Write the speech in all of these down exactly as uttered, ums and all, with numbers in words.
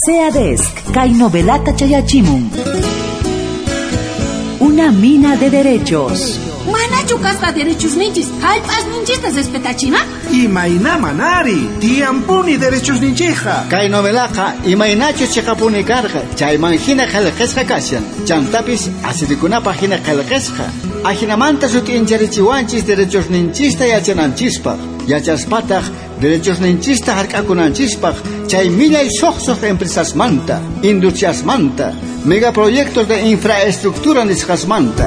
SEADESC, kay novelata chayachimun. Una mina de derechos. Manachu kasqa derechos ninchis, hallp'as ninchista respetachina? Imayna manari, tiyampuni derechos ninchija. Kay novelaqa imaynachu chiqapuni karqa, chayman hina qillqasqa kashan. Chantapis asirikunapaq hina qillqasqa. Ajinamanta sut'incharichiwanchis derechos ninchista yachananchispaq. Yachaspataq derechos ninchista hark'akunanchispaq chay millay suqsuq empresasmanta, industriasmanta, megaproyectos de infraestructura nisqasmanta.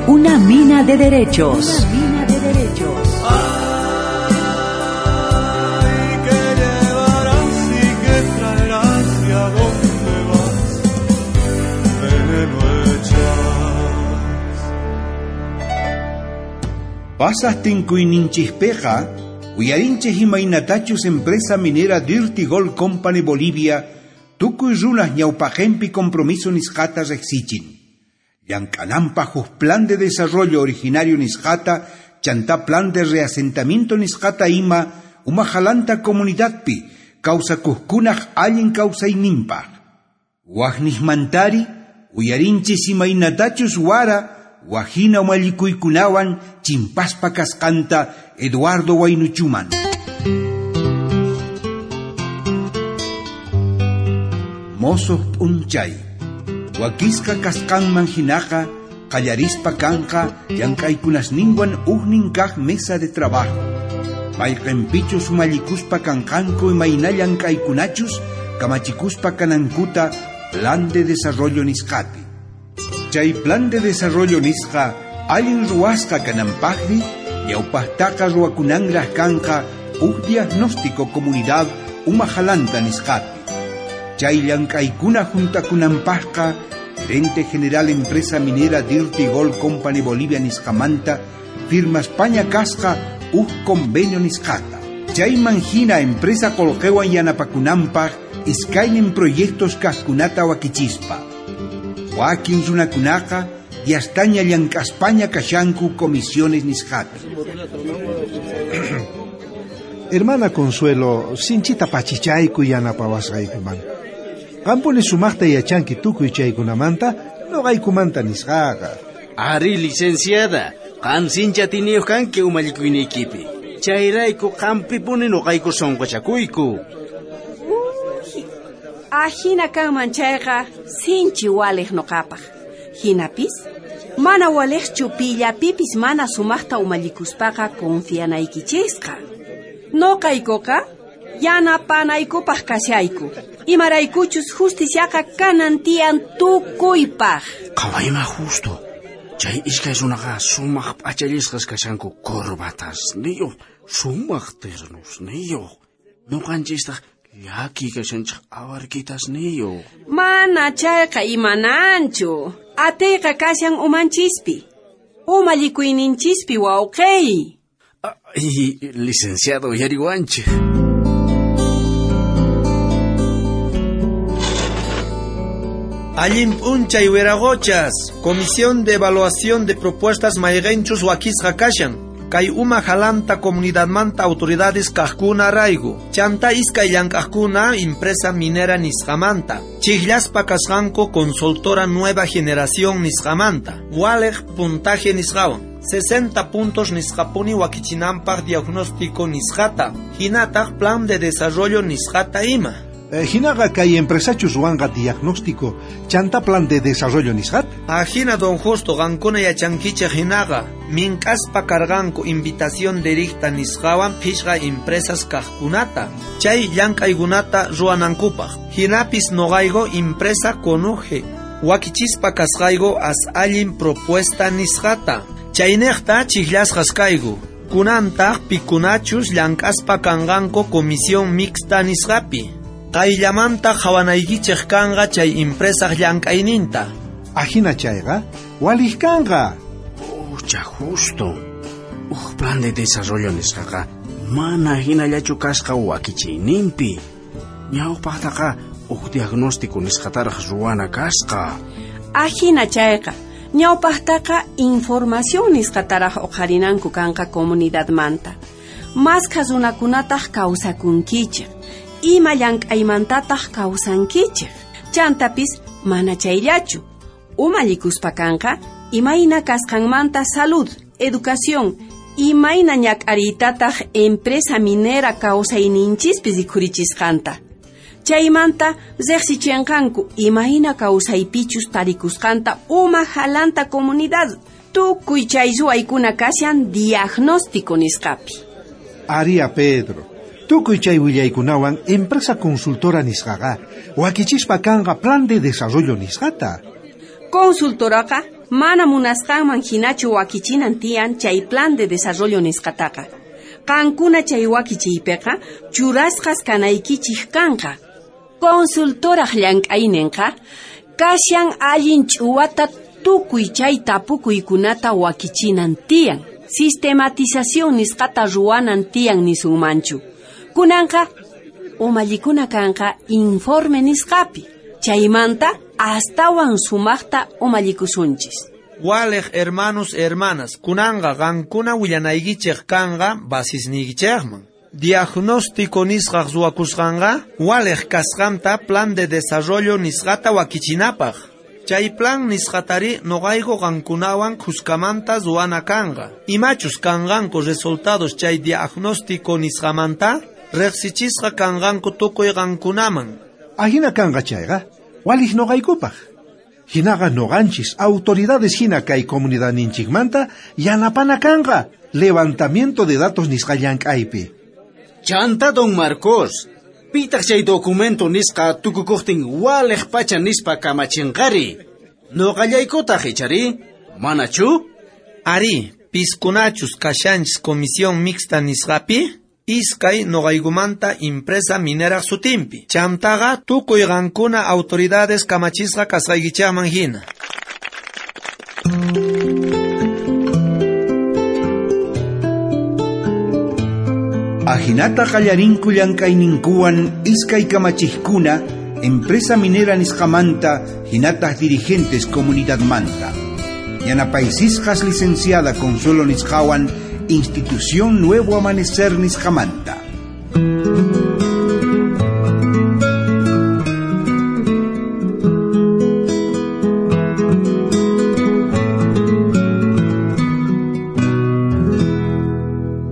Una mina de derechos. Una mina de derechos. Ay, que llevarás y que traerás y a dónde vas, veneno echas. Pasas tinkuyninchikpiqa, uyarinchik imaynatachus empresa minera Dirty Gold Company Bolivia, tukuy runas ñawpaqenpi compromiso nisqata riqsichin. Llank'ananpaq huk plan de desarrollo originario nisqata, chantá plan de reasentamiento nisqata ima, umajalanta comunidadpi, kawsakuqkunaq allin kawsayninpaq. Waqniqmantari, uyarinchis imaynatachus wara, wajina umallikuykunawan chimpaspa kasqanta Eduardo Waynuchuman. Mosoq p'unchay. Wakisqa kasqanman hinaqa qallarispa kanqa llank'aykunasninwan ujnin kaq mesa de trabajo. Mayqinpichus umallikuspa kanqanku imayna llank'aykunachus kamachikuspa kanankuta plan de desarrollo nisqapi. Chay plan de desarrollo nisqa allin ruwasqa kananpaqri ñawpaqtaqa ruwakunanraq kanqa uj diagnóstico comunidad umajalanta nisqapi. Chay llank'aykuna juntakunanpaqqa gerente general empresa minera Dirty Gold Company Bolivia nisqamanta firma España kasqa uj convenio nisqata. Chayman hina empresa qullqiwan yanapakunanpaq iskaynin proyectos kaqkunata wakichispa. Wakin runakunaqa yastaña llank'aspaña kashanku comisiones nisqapi. Hermana Consuelo, sinchita pachichayku yanapawasqaykuman. Qampuni sumaqta yachanki tukuy chaykunamanta, noqaykumanta nisqaqa. Ari, licenciada, qam sincha tiniyuq kanki umallikuynikipi. Chayrayku qampipuni noqayku sunquchakuyku. Uy, ajina kanman chayqa sinchi waliq noqapaq. Hinapis, mana waliqchu pillapipis mana sumaqta umallikuspaqa confianaykichisqa. Noqaykuqa yanapanaykupaq kashayku. Imaraykuchus justiciaqa kanan tiyan tukuypaq. Qhawayma justo. Chay iskay runaqa sumaq p'achallisqas kashanku corbatasniyuq, sumaq ternusniyuq. Ñuqanchistaq llaki kashanchik awarkitasniyuq. Mana chayqa imananchu. Atiyqa kashan umanchispi. Umallikuyninchispi wawqiy. Ay, licenciado yariwanchik. Allin p'unchay wiraquchas, Comisión de Evaluación de Propuestas mayqinchus wakisqa kashan. Kay uma jalanta comunidadmanta autoridades kaqkuna raygu. Chanta iskay llank'aqkuna empresa minera nisqamanta. Chijllaspa kasqanku consultora nueva generación nisqamanta. Waliq puntaje nisqawan. sesenta puntos nisqapuni wakichinanpaq diagnóstico nisqata. Hinataq plan de desarrollo nisqata ima. Eh, hinaqa kay empresachus ruwanqa diagnóstico chanta plan de desarrollo nisqat? Ajina don Justo qankuna yachankichik hinaqa mink'aspa karqanku invitación directa nisqawan phishqa empresas kaqkunata chay llank'aykunata ruwanankupaq. Hinapis noqayku empresa conuje wakichispa kasqayku as allin propuesta nisqata. Chayniqta chijllasqas kayku. Kunantaq pikunachus llank'aspa kanqanku comisión mixta nisqapi. Qayllamanta qhawanaykichik kanqa chay empresaq llank'ayninta. Ajina chayqa waliq kanqa. Ucha justo. Uj plan de desarrollo nisqaqa mana hinallachu kasqa wakichiyninpi. Ñawpaqtaqa uj diagnóstico nisqataraq ruwana kasqa. Ajina chayqa ñawpaqtaqa información nisqataraq uqharinanku kanqa comunidadmanta. Maskha runakunataq kawsakunkichik. Ima llank'aymantataq kawsankichik. Chantapis mana chayllachu. Umallikuspa kanqa imayna kasqanmanta salud, educación, imayna ñak'ariytataq empresa minera kawsayninchispi rikhurichisqanta. Chaymanta riqsichinqanku imayna kawsaypichus tarikusqanta uma jalanta comunidad. Tukuy chay ruwaykuna kashan diagnóstico nisqapi. Aria Pedro, tukuy chay willaykunawan empresa consultora nisqaqa wakichispa kanqa plan de desarrollo nisqata. Consultoraqa mana munasqanman hinachu wakichinan tiyan chay plan de desarrollo nisqataqa. Qankuna chay wakichiypiqa churasqas kanaykichik kanqa. Consultoraq llank'ayninqa kashan allin ch'uwata tukuy chay tapukuykunata wakichinan tiyan. Sistematización nisqata ruwanan tiyan nisunmanchu. Kunanqa umallikuna kanqa informe nisqapi. Chaymanta astawan sumaqta umallikusunchis. Waliq hermanos hermanas, kunanqa qankuna willanaykichik kanqa basisniykichikman. Diagnóstico nisqaq ruwakusqanqa waliq kasqanta plan de desarrollo nisqata wakichinapaq. Chay plan nisqatari noqayku qankunawan khuskamanta ruwana kanqa. Imachus kanqanku resultados chay diagnóstico nisqamanta riqsichisqa kanqanku tukuy qankunaman. Ahina kanqa chayqa waliq noqaykupaq. Hinaqa noqanchis autoridades hina kay comunidadninchikmanta yanapana kanqa levantamiento de datos nisqa llank'aypi. Chanta don Marcos, pitaq chay documento nisqa tukukuqtin waliq pacha nispa kamachinqari. Noqallaykutaq ichari, manachu? Ari, piskunachus kashanchis comisión mixta nisqapi, iskay noqaykumanta empresa minera sutinpi. Chantaqa tukuy qankuna autoridades kamachisqa kasqaykichikman hina. Ajinata qallarinku llank'ayninkuwan iskay kamachiqkuna empresa minera nisqamanta hinataq dirigentes comunidadmanta. Yanapaysisqas licenciada Consuelo nisqawan Institución Nuevo Amanecer nisqamanta.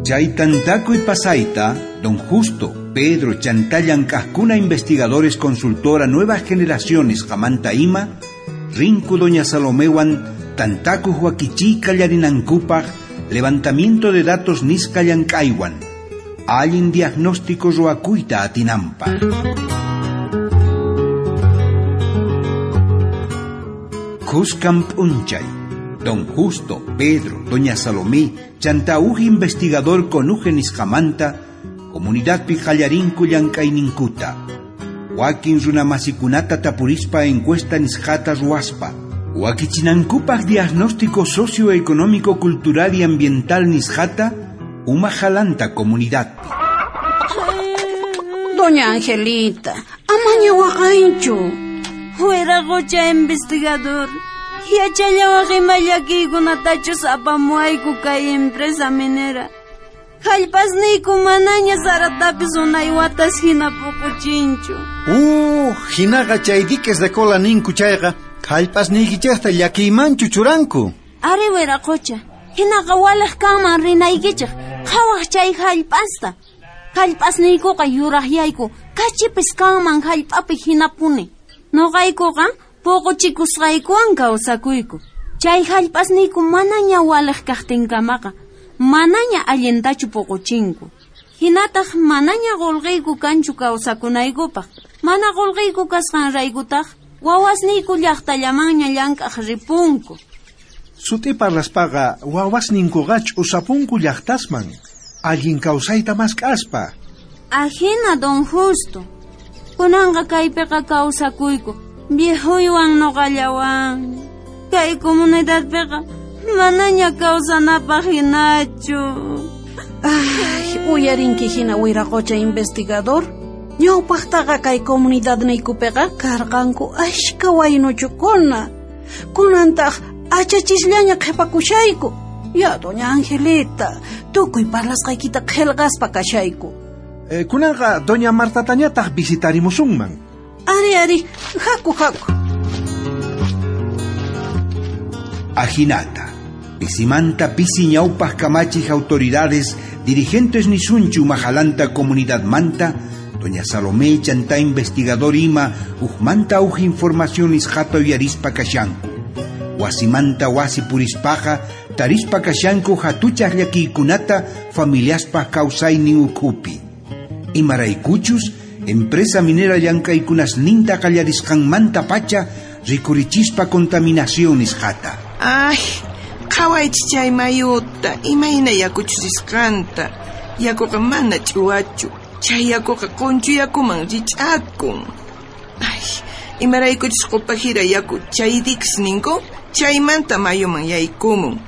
Chay tantakuy pasayta, don Justo, Pedro, chantá llank'aqkuna investigadores consultora Nuevas Generaciones qamanta ima, rinku doña Salomewan tantakuq wakichiy qallarinankupaq levantamiento de datos nisqa llank'aywan, allin diagnóstico ruwakuyta atinanpaq. Khuskan p'unchay, don Justo, Pedro, doña Salomé, chanta uj investigador conuje nisqamanta, comunidadpi qallarinku llank'ayninkuta. Wakin runamasikunata tapurispa encuesta nisqata ruwaspa. Wakichinankupaq diagnóstico socioeconómico, cultural y ambiental nisqata, uma jalanta comunidad. Doña Angelita, amaña waqanchu. Wiraqocha investigador, yachallawaq ima llakiykunatachus apamuayku kay empresa minera. Jallpasniyku manaña saratapis unay watas hina puquchinchu. Uh, hinaqa chay diques de cola ninku chayqa jallpasniykichikta llakiymanchu churanku. Ari wiraqocha, hinaqa waliq kanman rinaykichik, qhawaq chay jallp'asta. Jallp'asniykuqa yuraqyayku, kachipis kanman jallp'api hinapuni. Noqaykuqa puquchikusqaykuwan kawsakuyku. Chay jallp'asniyku manaña waliq kaqtinkamaqa, manaña allintachu puquchinku. Hinataq manaña qullqiyku kanchu kawsakunaykupaq. Mana qullqiyku kasqanraykutaq wawasniyku llaqtallamanña llank'aq ripunku. Sut'i parlaspaqa wawasninkuqa ch'usapunku llaqtasman, allin kawsayta mask'aspa. Ajina don Justo. Kunanqa kaypiqa kawsakuyku, viejuywan noqallawan. Kay comunidadpiqa manaña kawsanapaq hinachu. Ay, uyarinki hina wiraqocha investigador. Ñawpaqtaqa kay comunidadniykupiqa karqanku ashka waynuchukuna. Kunantaq achachisllaña qhipakushayku. Ya, doña Angelita, Tukuy parlasqaykita qhelqaspa kashayku. Eh, kunanqa doña Martatañataq visitarimusunman. Ari, ari, haku, haku. Ajinata, pisimanta pisi ñawpaq kamachij autoridades, dirigentes nisunchu majalanta comunidadmanta, doña Salomé chanta investigador ima ujmanta uj información nisqata uyarispa kashanku. Wasimanta wasi purispaqa tarispa kashanku hatuchaq llakiykunata familiaspaq kawsaynin ukhupi. Imaraykuchus empresa minera llank'aykunasninta qallarisqanmanta pacha rikurichispa contaminación nisqata. Ay, qhawaychis chay mayuta, imayna yakuchus risqanta. Yakuqa mana ch'uwachu. Chay yakuqa qunchu yakuman rich'akun. Ay, imaraykuchus qupajira yaku chay diques ninku, chaymanta mayuman yaykumun.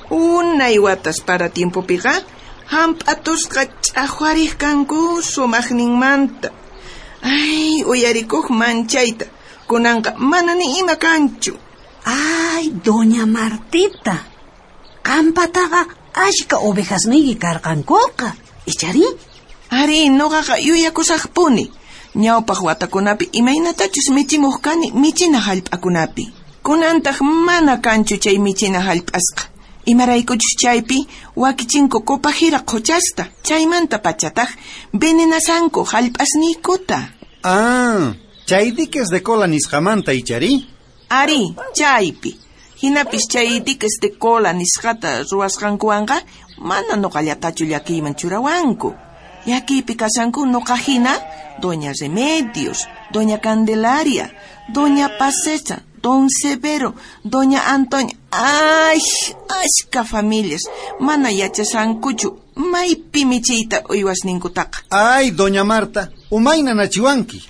Unay watas para tiempopiqa, hamp'atusqa ch'aqwariq kanku sumaqninmanta. Ay, uyarikuq manchayta, kunanqa mana ni ima kanchu. Ay, doña Martita, qampataqa ashka ovejasniyki karqankuqa, ichari? Ari, noqaqa yuyakusaqpuni. Ñawpaq watakunapi imaynatachus michimuq kani michina hallp'akunapi. Kunantaq mana kanchu chay michina hallp'asqa. Imaraykuchus chaypi wakichinku qupajira qhuchasta, chaymanta pachataq venenasanku hallp'asniykuta. Ah, chay diques de cola nisqamanta ichari? Ari, chaypi. Hinapis chay diques de cola nisqata ruwasqankuwanqa mana nuqallatachu llakiyman churawanku. Llakiypi kashanku nuqa hina doña Remedios, doña Candelaria, doña Pasecha, don Severo, doña Antonia. Ay, ashka familias, mana yachashankuchu maypi michiyta uywasninkutaqa. Ay, doña Marta, umayna nachiwanki.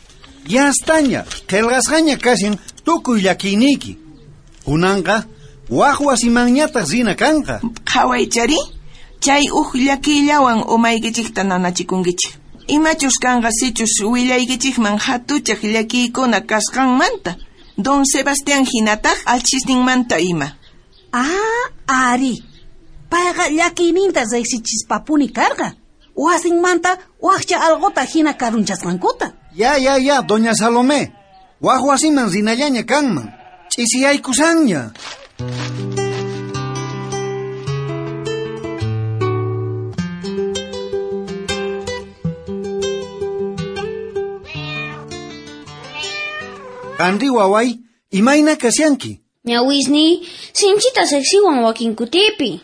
Yastaña, qhelqasqaña kashan tukuy llakiyniyki. Kunanqa, waj wasimanñataq rina kanqa. Qhawaychari, chay uj llakiyllawan umaykichikta nanachikunkichik. Imachus kanqa sichus willaykichikman hatuchaq llakiykuna kasqanmanta. Don Sebastián hinataq alchisninmanta ima. Ah, ari. Payqa llakiyninta riqsichispapuni karqa. Wasinmanta waqcha alquta hina karunchasqankuta. Ya, ya, ya, doña Salomé. Waj wasiman rinallaña kanman. Ch'isiyaykusanña. Qanri waway, imayna kashanki? Ñawisni, sinchita sexiwan wakinkutipi.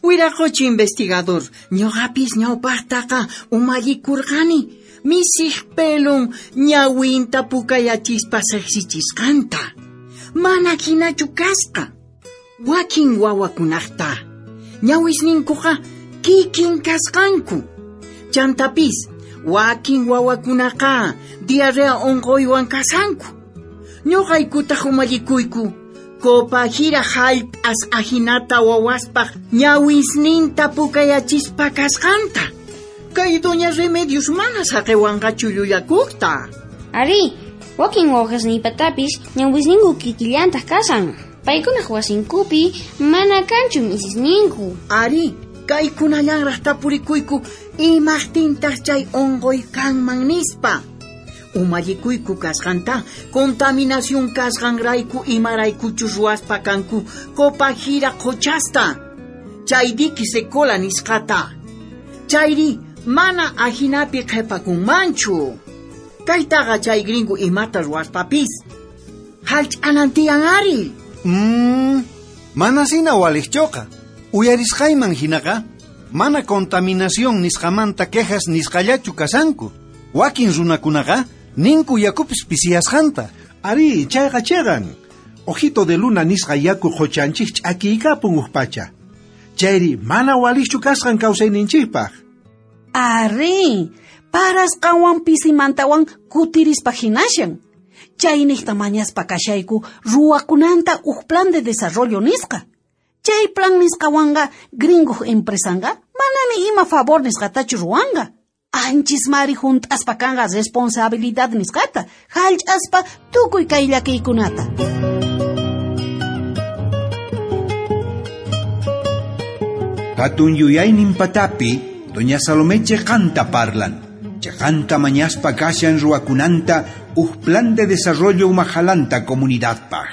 Wiraqochi investigador, ñuqapis ñawpaqtaqa umallikurqani. Misij pelun ñawinta pukayachispa seqsichisqanta. Mana hinachu kasqa. Wakin wawakunaqta. Ñawisninkuqa kikin kasqanku. Chantapis, wakin wawakunaqa diarrea unquywan kasanku. Ñuqaykutaq umallikuyku. Qupajira hallp'as ajinata wawaspaq ñawisninta pukayachispa kasqanta. Kay doña Remedios mana saqiwanqachu llullakuqta. Ari, wakin wawqasniypatapis ñawisninku kikillantaq kasan. Paykunaq wasinkupi mana kanchu misisninku. Ari, kaykunallanraq tapurikuyku imaqtintaq chay unquy kanman nispa. Umallikuyku kasqanta, contaminación kasqanrayku imaraykuchus ruwaspa kanku qupajira qhuchasta. Chay diques de cola nisqata. Chayri mana ajinapi qhipakunmanchu. Kaytaqa chay gringo imata ruwaspapis. Hallch'anantiyan ari. Mm, mana sina waliqchuqa. Uyarisqayman hinaqa, mana contaminación nisqamanta quejas nisqallachu kasanku. Wakin runakunaqa ninku yakupis pisiyasqanta. Ari, chayqa chiqan. Ojito de luna nisqa yaku qhuchanchik ch'akiykapun uj pacha. Chayri mana waliqchu kasqan kawsayninchikpaq. Ari, parasqanwan pisimantawan kutirispa hinashan. Chayniqta mañaspa kashayku ruwakunanta uj plan de desarrollo nisqa. Chay plan nisqawanqa gringo empresanqa manami ima favor nisqatachu ruwanqa. Anchis mari junt'aspa kanqa responsabilidad nisqata, hallch'aspa tukuy kay llakiykunata. Hatun yuyaynin patapi, doña Salomé cheqanta parlan. Cheqanta mañaspa kashan ruwakunanta uj plan de desarrollo umajalanta comunidadpaj.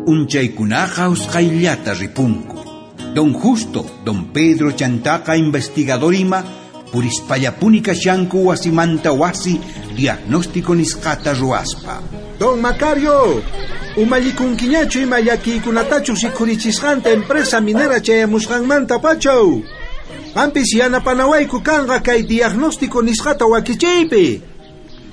Unchaykunaqa usqhayllata ripunku. Don Justo, don Pedro chantaqa investigador ima purispallapuni kashanku wasimanta wasi diagnóstico nisqata ruwaspa. Don Macario, umallikunkiñachu ima llakiykunatachus rikhurichisqanta empresa minera chayamusqanmanta pachaw. Qampis yanapanawayku kanqa kay diagnóstico nisqata wakichiypi.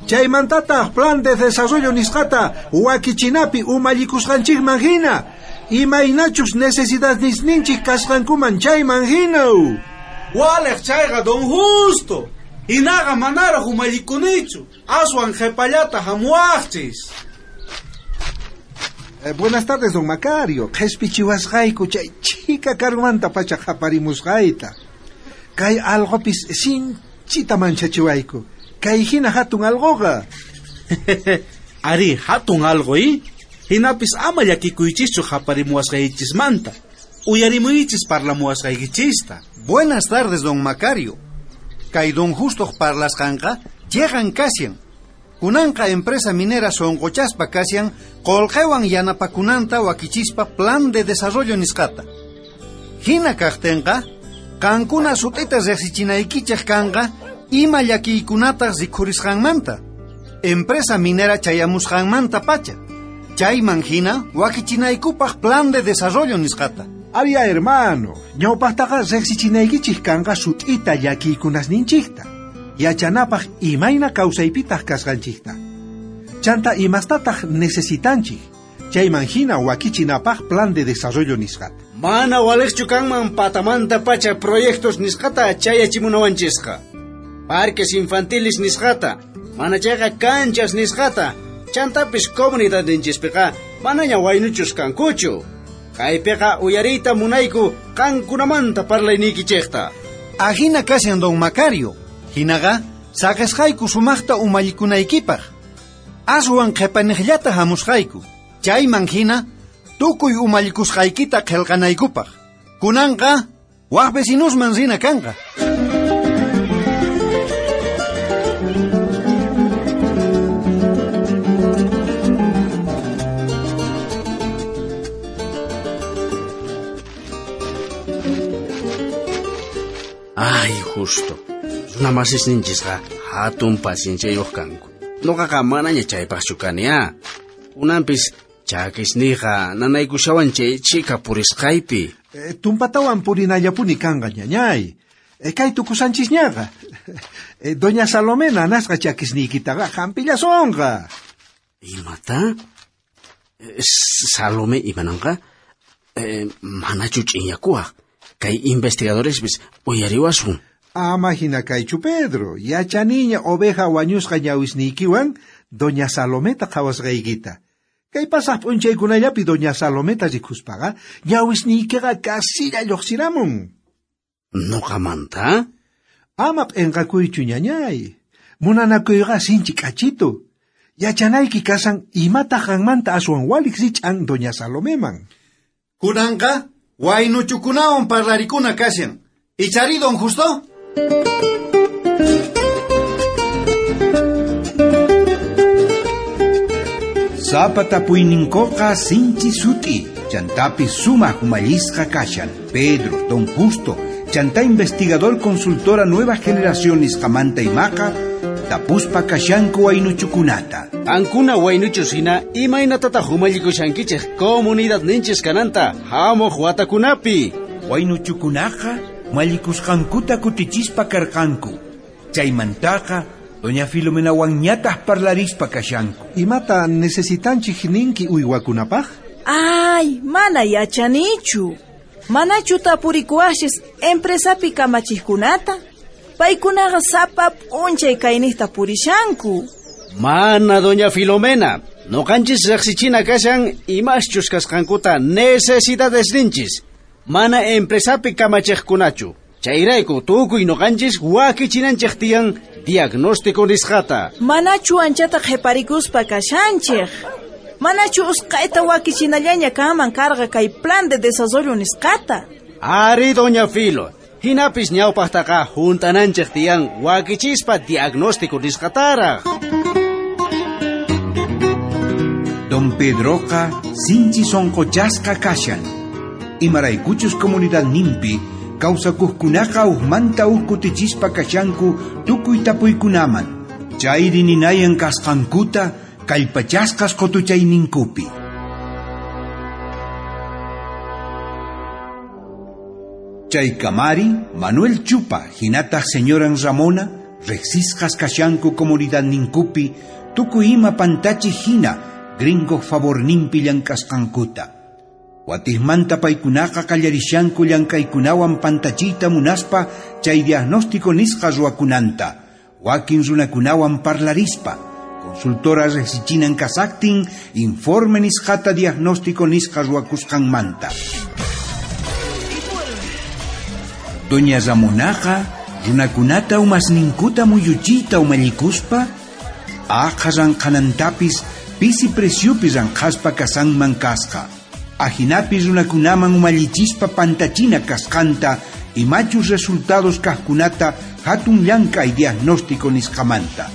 Chaymantataq plan de desarrollo nisqata wakichinapi umallikusqanchikman hina. Imaynachus necesidadnisninchik kasqankuman chayman hina. Waliq chayqa don Justo. Hinaqa manaraq umallikunichu. Aswan qhipallata hamuwaqchis. Eh, buenas tardes, don Macario. Qhispichiwasqayku chay chika karumanta pacha qhaparimusqayta. Kay alqopis sinchita manchachiwayku. Kay hina hatun alqoqa. Ari, hatun alqo, i? Hinapis ama llakikuychischu qhaparimuwasqaykichismanta. Uyarimuychis parlamuwasqaykichista. Buenas tardes, don Macario. Kay don Justo parlasqanqa llegan kashan. Kunanqa empresa minera sonqochaspa kashan qolqewan yanapakunanta wakichispa plan de desarrollo nisqata. Hina kaqtinqa, qankuna sut'ita riqsichinaykichej kanqa ima llakiykunataq rikhurisqanmanta. Empresa minera chayamusqanmanta pacha. Chayman hina wakichinaykupaq plan de desarrollo nisqata. Había hermano, ñawpaqtaqa riqsichinaykichik kanqa sut'ita llakiykunasninchikta. Yachanapaq imayna kawsaypitaq kasqanchikta. Chanta imastataq necesitanchik. Chayman hina wakichinapaq plan de desarrollo nisqata. Mana waliqchu kanman patamanta pacha proyectos nisqata chayachimunawanchisqa. Parques infantiles nisqata, mana chayqa canchas nisqata, chantapis comunidadninchispiqa manaña waynuchus kankuchu. Kaypiqa uyariyta munayku qankunamanta parlaynikichikta. Ajina kashan don Macario. Hinaqa saqisqayku sumaqta umallikunaykipaq. Aswan qhipaniqllata hamusqayku. Chayman hina tukuy umallikusqaykita qillqanaykupaq. Kunanqa waq vecinusman rina kanqa. Ay, Justo. Runa masisninchisqa hatun pacienciayuq kanku. Nuqaqa manaña chaypaqchu kani, ah. Kunanpis chakisniyqa nanaykushawan chay chika purisqaypi. Eh, tumpatawan purinallapuni kanqa, ñañay. Eh, kay tukusanchisñaqa. Eh, doña Salomé nanasqa chakisniykitaqa hampillasonqa. Imata? Eh, Salomé imananqa? Eh, manachu ch'inyakuwaq. Kay investigadorespis uyariwasun. Ama hina kaychu, Pedro. Yachaniña oveja wañusqa ñawisniykiwan doña Salometa qhawasqaykita. Kay pasaq p'unchaykunallapi doña Salometa rikuspaqa ñawisniykiqa kasilla lluqsiramun. Nuqamanta? Ama p'inqakuychu, ñañay. Munanakuyqa sinchi k'achitu. Yachanayki kasan imataq qanmanta aswan waliq rich'an doña Salomeman. Kunanqa waynuchukunawan parlarikuna kashan. Ichari, don Justo? Sapa tapuyninkuqa sinchi sut'i, chantapi sumaq umallisqa kashan. Pedro, don Justo, chanta investigador consultora Nueva Generación nisqamanta imaqa, tapuspa kashanku waynuchukunata. Qankuna waynuchus hina imaynatataq umallikushankichik comunidadninchis kananta hamuq watakunapi. Waynuchukunaqa mallikusqankuta kutichispa karqanku. Chaymantaqa doña Filomenawanñataq parlarispa kashanku. Imata necesitanchik ninki uywakunapaq? Ay, mana yachanichu. Manachu tapurikuwashis empresapi kamachiqkunata? Paykunaqa sapa p'unchay kayniqta purishanku. Mana, doña Filomena. Noqanchis riqsichina kashan imaschus kasqankuta necesidades ninchis. Mana empresapi kamachiqkunachu. Chayrayku tukuy noqanchis wakichinanchej tiyan diagnóstico nisqata. Manachu anchata qhiparikuspa kashanchej. Manachu usqayta wakichinallaña kanman karqa kay plan de desarrollo nisqata. Ari, doña Filo. Hinapis ñawpaqtaqa juntananchej tiyan wakichispa diagnóstico nisqataraq. Don Pedroqa sinchi sonqochasqa kashan. Imaraykuchus comunidad nimpi kawsakuqkunaqa uqmanta uq kutichispa kashanku tukuy tapuykunaman. Chayri ninayan kasqankuta kallpachasqas qutuchayninkupi. Chay kamari Manuel Chupa hinataq señoran Ramona riqsisqas kashanku comunidad ninkupi tukuy ima pantachi hina gringo favorninpi llank'asqankuta. Watijmanta paykunaqa qallarishanku llank'aykunawan pantachiyta munaspa chay diagnóstico nisqa ruwakunanta, wakin runakunawan parlarispa, consultora riqsichinan kasaqtin informe nisqata diagnóstico nisqa ruwakusqanmanta. Doña Ramonaqa runakunata umasninkuta muyuchiyta umallikuspa aqha ranqhanantapis pisi preciopi ranqhaspa kasanman kasqa. Ajinapi runakunaman umallichispa pantachina kasqanta imachus resultados kaqkunata hatun llank'ay diagnóstico nisqamanta.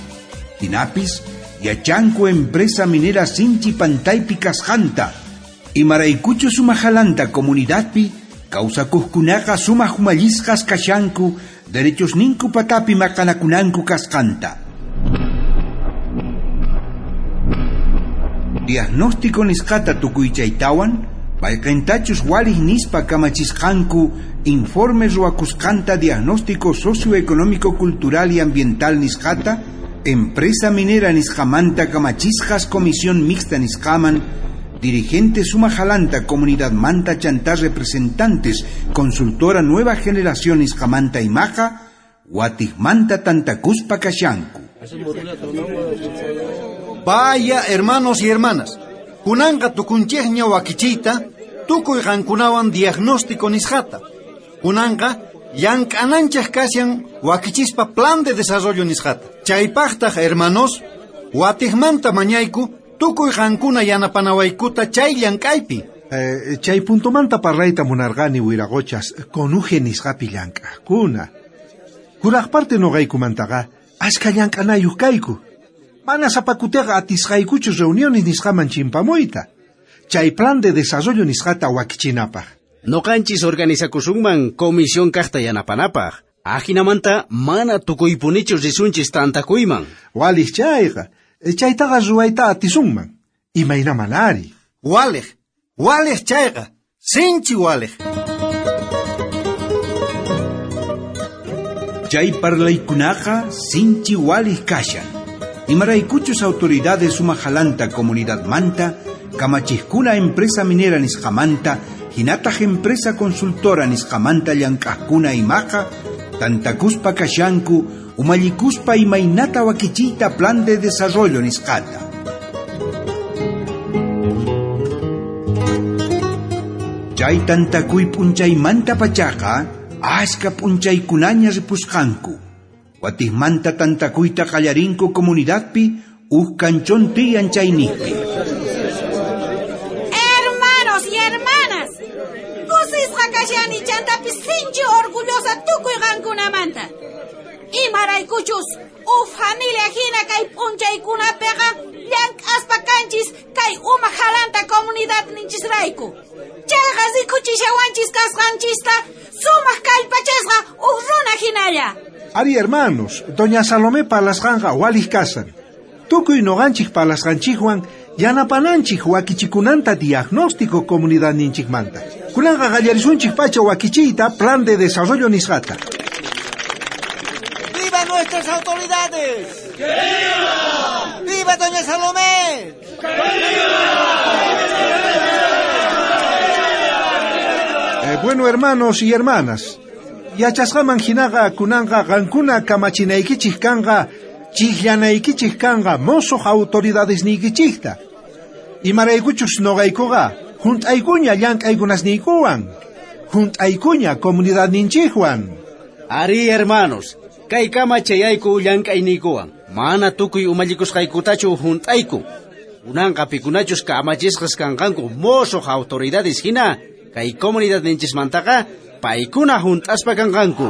Hinapis yachanku empresa minera sinchi pantaypi kasqanta imaraykuchus sumajalanta comunidadpi kawsakuqkunaqa sumaq umallisqas kashanku derechos ninku patapi maqanakunanku kasqanta. Diagnóstico nisqata tukuychaytawan payqintachus walij nispa kamachisqanku informe ruwakusqanta diagnóstico socioeconómico cultural y ambiental nisqata empresa minera nisqamanta kamachisqas comisión mixta nisqaman dirigentes sumajalanta comunidad manta chantá representantes consultora nueva generación nisqamanta imaqa watijmanta tantakuspa kashanku. Vaya, hermanos y hermanas, kunanqa tukunchejña wakichiyta tukuy qankunawan diagnóstico nisqata. Kunanqa llank'ananchej kashan wakichispa plan de desarrollo nisqata. Chaypaqtaq, hermanos, watijmanta mañayku tukuy qankuna yanapanawaykuta chay llank'aypi. Eh, chay puntomanta parlayta munarqani wiraqochas conuje nisqapi llank'aqkuna. Kuraq parte noqaykumantaqa ashka llank'anayuq kayku. Mana sapakutiqa atisqaykuchu reuniones nisqaman chimpamuyta. Chay plan de desarrollo nisqata wakichinapaq. Noqanchis organizakusunman comisión kaqta yanapanapaq. Ajinamanta mana tukuypunichu risunchis tantakuyman. Walij chayqa. Chaytaqa ruwayta atisunman. Imaynaman ari. Walij, walij chayqa. Sinchi walij. Chay parlaykunaqa sinchi walij kashan. Imaraykuchus autoridades sumajalanta comunidad manta, kamachijkuna empresa minera nisqamanta, hinataq empresa consultora nisqamanta llank'aqkuna imaqa, tantakuspa kashanku, umallikuspa imaynata wakichiyta plan de desarrollo nisqata. Chay tantakuy p'unchaymanta pachaqa, ashka p'unchaykunaña ripusqanku. Watijmanta tantakuyta qallarinku comunidadpi uj kanchón tiyan chayniqpi. Hermanos y hermanas, kusisqa kashani chantapis sinchi orgullosa tukuy qankunamanta. Imaraykuchus uj familia hina kay p'unchaykunapiqa llank'aspa kanchis kay uma jalanta comunidad ninchisrayku. Chayqa rikuchishawanchis kasqanchista sumaq kallpachasqa uj runa hinalla. Ari, hermanos, doña Salomé palasqanqa walij kasan. Tukuy noqanchik palasqanchikwan yanapananchik wakichikunanta diagnóstico comunidad ninchikmanta. Kunanqa qallarisunchik pacha wakichiyta plan de desarrollo nisqata. ¡Viva nuestras autoridades! ¡Que viva! ¡Viva doña Salomé! ¡Que viva! Eh, bueno, hermanos y hermanas, yachasqaman hinaqa kunanqa qankuna kamachinaykichik kanqa chijllanaykichik kanqa mosoq autoridadesniykichikta. Imaraykuchus noqaykuqa junt'aykuña llank'aykunasniykuwan, junt'aykuña comunidadninchikwan. Ari, hermanos, kay kama chayayku llank'ayniykuwan. Mana tukuy umallikusqaykutachu hunt'ayku. Kunanqa pikunachus kamachisqas kanqanku mosoq autoridades hina, kay comunidadninchismantaqa paykuna hunt'aspa kanqanku.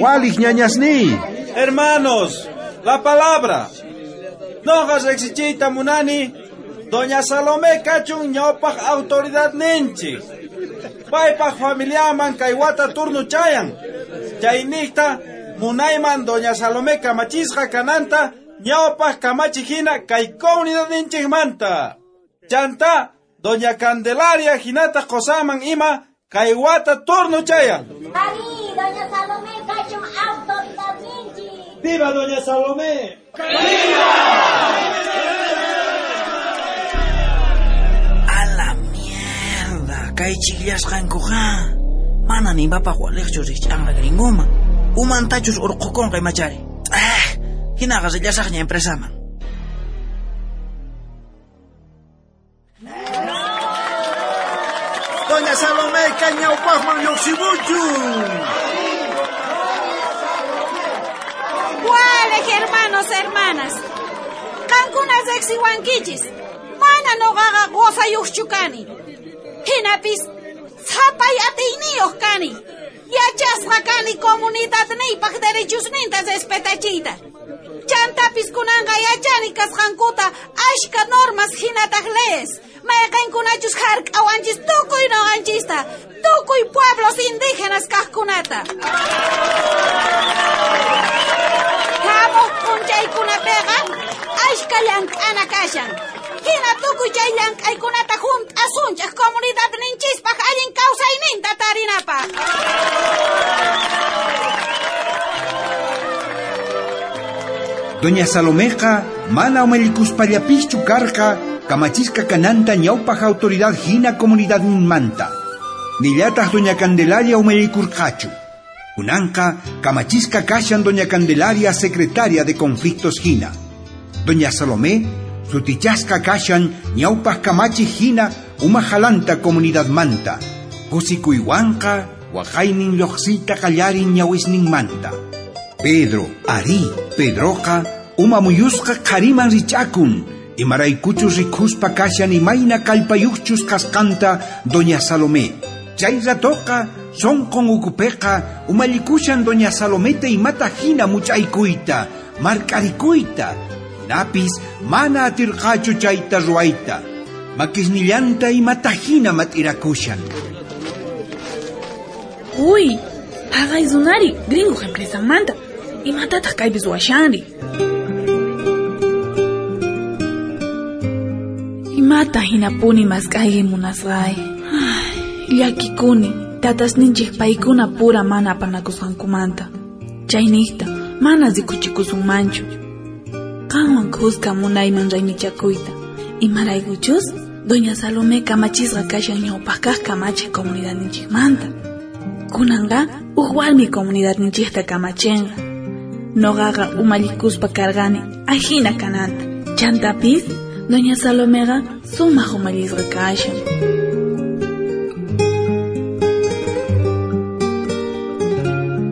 Waliq ñañasniy. Hermanos, la palabra. Noqa riqsichiyta munani, Doña Salomé kachun ñawpaq autoridad ninchik. Paypaq familiaman kay wata turno chayan. Chayniqta munayman Doña Salomé kamachisqa kananta ñawpaq kamachi hina kay comunidad ninchikmanta. Chanta Doña Candelaria hinata qosaman ima kay wata turno chayan. Ari, Doña Salomé kachun autoridad ninchik. ¡Viva Doña Salomé! ¡Viva! ¡A la mierda! Kay chillasqankuqa mana nimapaq waliqchu rich'anqa gringoman. Umantachus urqukunqa imachari. Ah, hinaqa rillasaqña empresaman. Doña Salomé kay ñawpaqman lluqsimuchun. Waliq hermanos, hermanas. Qankuna riqsiwankichis. Mana noqaqa qosayuqchu kani. Hinapis sapay atiyniyuq kani. Yachasqa kani comunidadniypaq derechosninta respetachiyta. Chantapis kunanqa yachani kasqankuta ashka normas hinataq leyes. Mayqinkunachus hark'awanchis tukuy noqanchista, tukuy pueblos indígenas kaqkunata. Hamuq p'unchaykunapiqa ashka llank'ana kashan. Hina tukuy chay llank'aykunata hunt'asunchaq comunidadninchispaq allin kawsayninta tarinapaq. Doña Salomeqa mana umallikuspallapischu karqa kamachisqa kananta ñawpaq autoridad hina comunidadninmanta. Nillataq Doña Candelaria umallikurqachu. Kunanqa kamachisqa kashan Doña Candelaria secretaria de conflictos hina. Doña Salomé sutichasqa kashan ñawpaq kamachi hina umajalanta comunidadmanta. Kusikuywanqa waqaynin lluqsiyta qallarin ñawisninmanta. Pedro, ari, Pedroqa uma muyusqa qhariman rich'akun. Imaraykuchus rikuspa kashan imayna kallpayuqchus kasqanta Doña Salomé. Chay ratoqa sonqon ukupiqa umallikushan Doña Salometa imata hina much'aykuyta, mark'arikuyta. Hinapis mana atirqachu chayta ruwayta. Makisnillanta imata hina mat'irakushan. Uy, haqay runari gringo empresamanta. Imatataq kaypi ruwashanri? Imata hinapuni mask'ayki munasqay. Llakikuni, tatasninchik paykuna pura mana apanakusqankumanta. Chayniqta mana rikuchikusunmanchu. Qanwan khuska munayman raymichakuyta. Imaraykuchus Doña Salomé kamachisqa kashan ñawpaq kaq kamachiq comunidadninchikmanta. Kunanqa uj warmi comunidadninchikta kamachinqa. Noqaqa umallikuspa karqani ajina kananta. Chantapis Doña Salomeqa sumaq umallisqa kashan.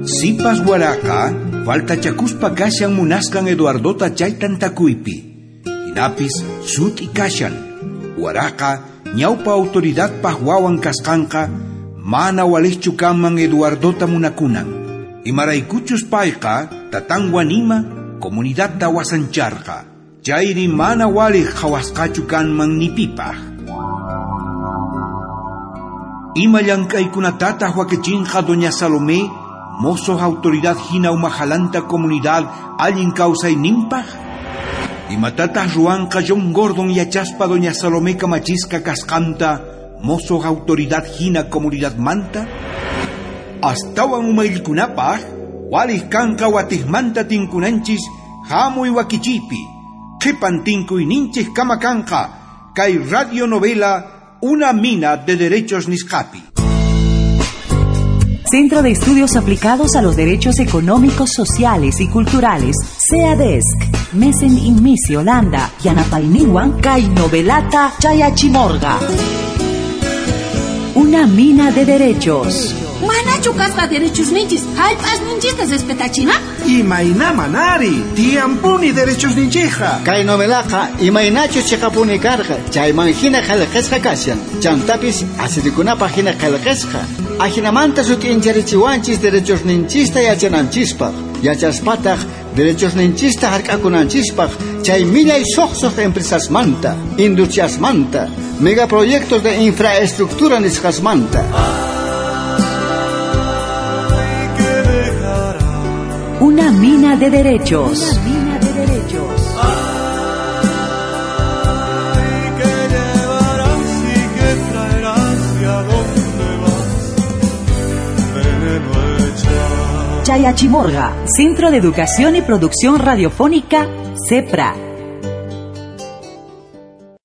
Sipas waraqa faltachakuspa kashan munasqan Eduardota chay tantakuypi. Hinapis sut'i kashan. Waraqa ñawpa autoridadpaq wawan kasqanqa mana waliqchu kanman Eduardota munakunan. Imaraykuchus payqa tatanwan ima comunidadta wasancharqa. Chayri mana waliq qhawasqachu kanman ni pipaq. Ima llank'aykunatataq wakichinqa Doña Salomé, mosoq autoridad hina umajalanta comunidad allin kawsayninpaq? Imatataq ruwanqa John Gordon yachaspa Doña Salomé kamachisqa kasqanta mosoq autoridad hina comunidadmanta? Astawan umallikunapaq waliq kanqa watiqmanta tinkunanchis hamuy wakichiypi. Qhipan tinkuyninchik kama kanqa kay radionovela Una mina de derechos nisqapi. Centro de Estudios Aplicados a los Derechos Económicos, Sociales y Culturales, CEADESC, Mesen Inmisi, Holanda, Yanapayniwan, kay novelata Chayachimorga. Una mina de derechos. Manachu kasqa derechosninchis, jallp'asninchista respetachina? Imayna manari, tiyampuni derechosninchikqa. Kay novelaqa imaynachus chiqapuni karqa, chayman hina qillqasqa kashan. Chantapis asirikunapaq hina qillqasqa. Ajinamanta sut'incharichiwanchis derechosninchista yachananchispaq. Yachaspataq derechosninchista hark'akunanchispaq chay millay suqsuq empresasmanta, industriasmanta, megaproyectos de infraestructura nisqasmanta. Una mina de derechos. Una mina de derechos. Ay, que llevarás y que traerás y a dónde vas, veneno echar. Chayachimorga, Centro de Educación y Producción Radiofónica, CEPRA.